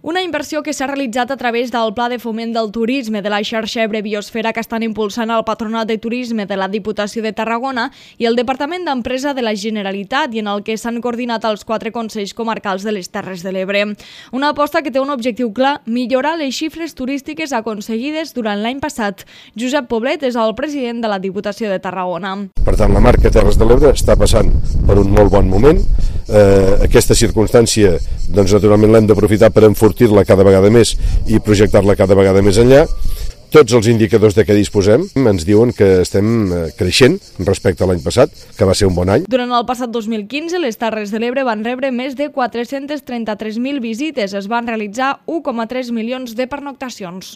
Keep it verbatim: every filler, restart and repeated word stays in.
Una inversió que s'ha realitzat a través del Pla de Foment del Turisme de la xarxa Ebre Biosfera que estan impulsant el Patronat de Turisme de la Diputació de Tarragona i el Departament d'Empresa de la Generalitat i en el que s'han coordinat els quatre Consells Comarcals de les Terres de l'Ebre. Una aposta que té un objectiu clar, millorar les xifres turístiques aconseguides durant l'any passat. Josep Poblet és el president de la Diputació de Tarragona. Per tant, la marca Terres de l'Ebre està passant per un molt bon moment. Eh, aquesta circumstància, doncs, naturalment l'hem d'aprofitar per enfortir-la cada vegada més i projectar-la cada vegada més enllà. Tots els indicadors de què disposem ens diuen que estem creixent respecte a l'any passat, que va ser un bon any. Durant el passat dos mil quinze, les Terres de l'Ebre van rebre més de quatre-cents trenta-tres mil visites. Es van realitzar u coma tres milions de pernoctacions.